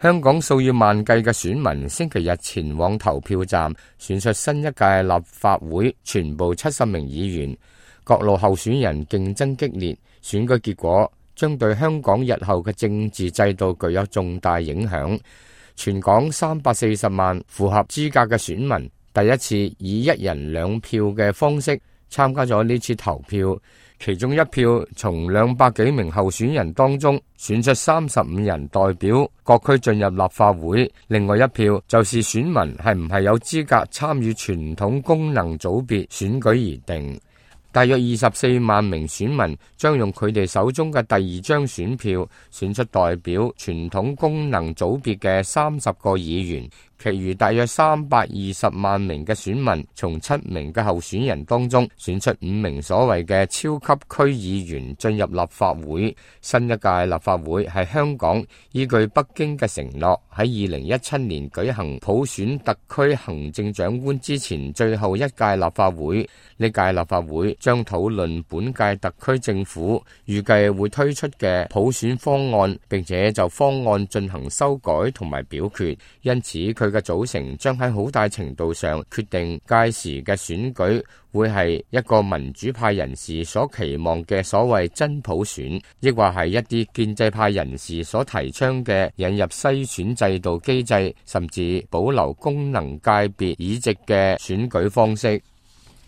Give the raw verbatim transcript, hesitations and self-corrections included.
香港數以萬計嘅選民星期日前往投票站選出新一屆立法會全部七十名議員，各路候選人競爭激烈，選舉結果將對香港日後嘅政治制度具有重大影響。全港三百四十萬符合資格嘅選民第一次以一人兩票嘅方式參加咗呢次投票，其中一票從兩百幾名候選人當中選出三十五人代表各區進入立法會，另外一票就是選民係唔係有資格參與傳統功能組別選舉而定。大約二十四萬名選民將用佢哋手中嘅第二張選票選出代表傳統功能組別嘅三十個議員，其餘大約三百二十萬名嘅選民從七名嘅候選人當中選出五名所謂嘅超級區議員進入立法會。新一屆立法會係香港依據北京嘅承諾喺二零一七年舉行普選特區行政長官之前最後一屆立法會。呢屆立法會將討論本屆特區政府預計會推出嘅普選方案，並且就方案進行修改同埋表決，因此佢嘅組成將喺好大程度上決定屆時嘅選舉會係一個民主派人士所期望嘅所謂真普選，抑或係一啲建制派人士所提倡嘅引入篩選制度機制，甚至保留功能界別議席嘅選舉方式。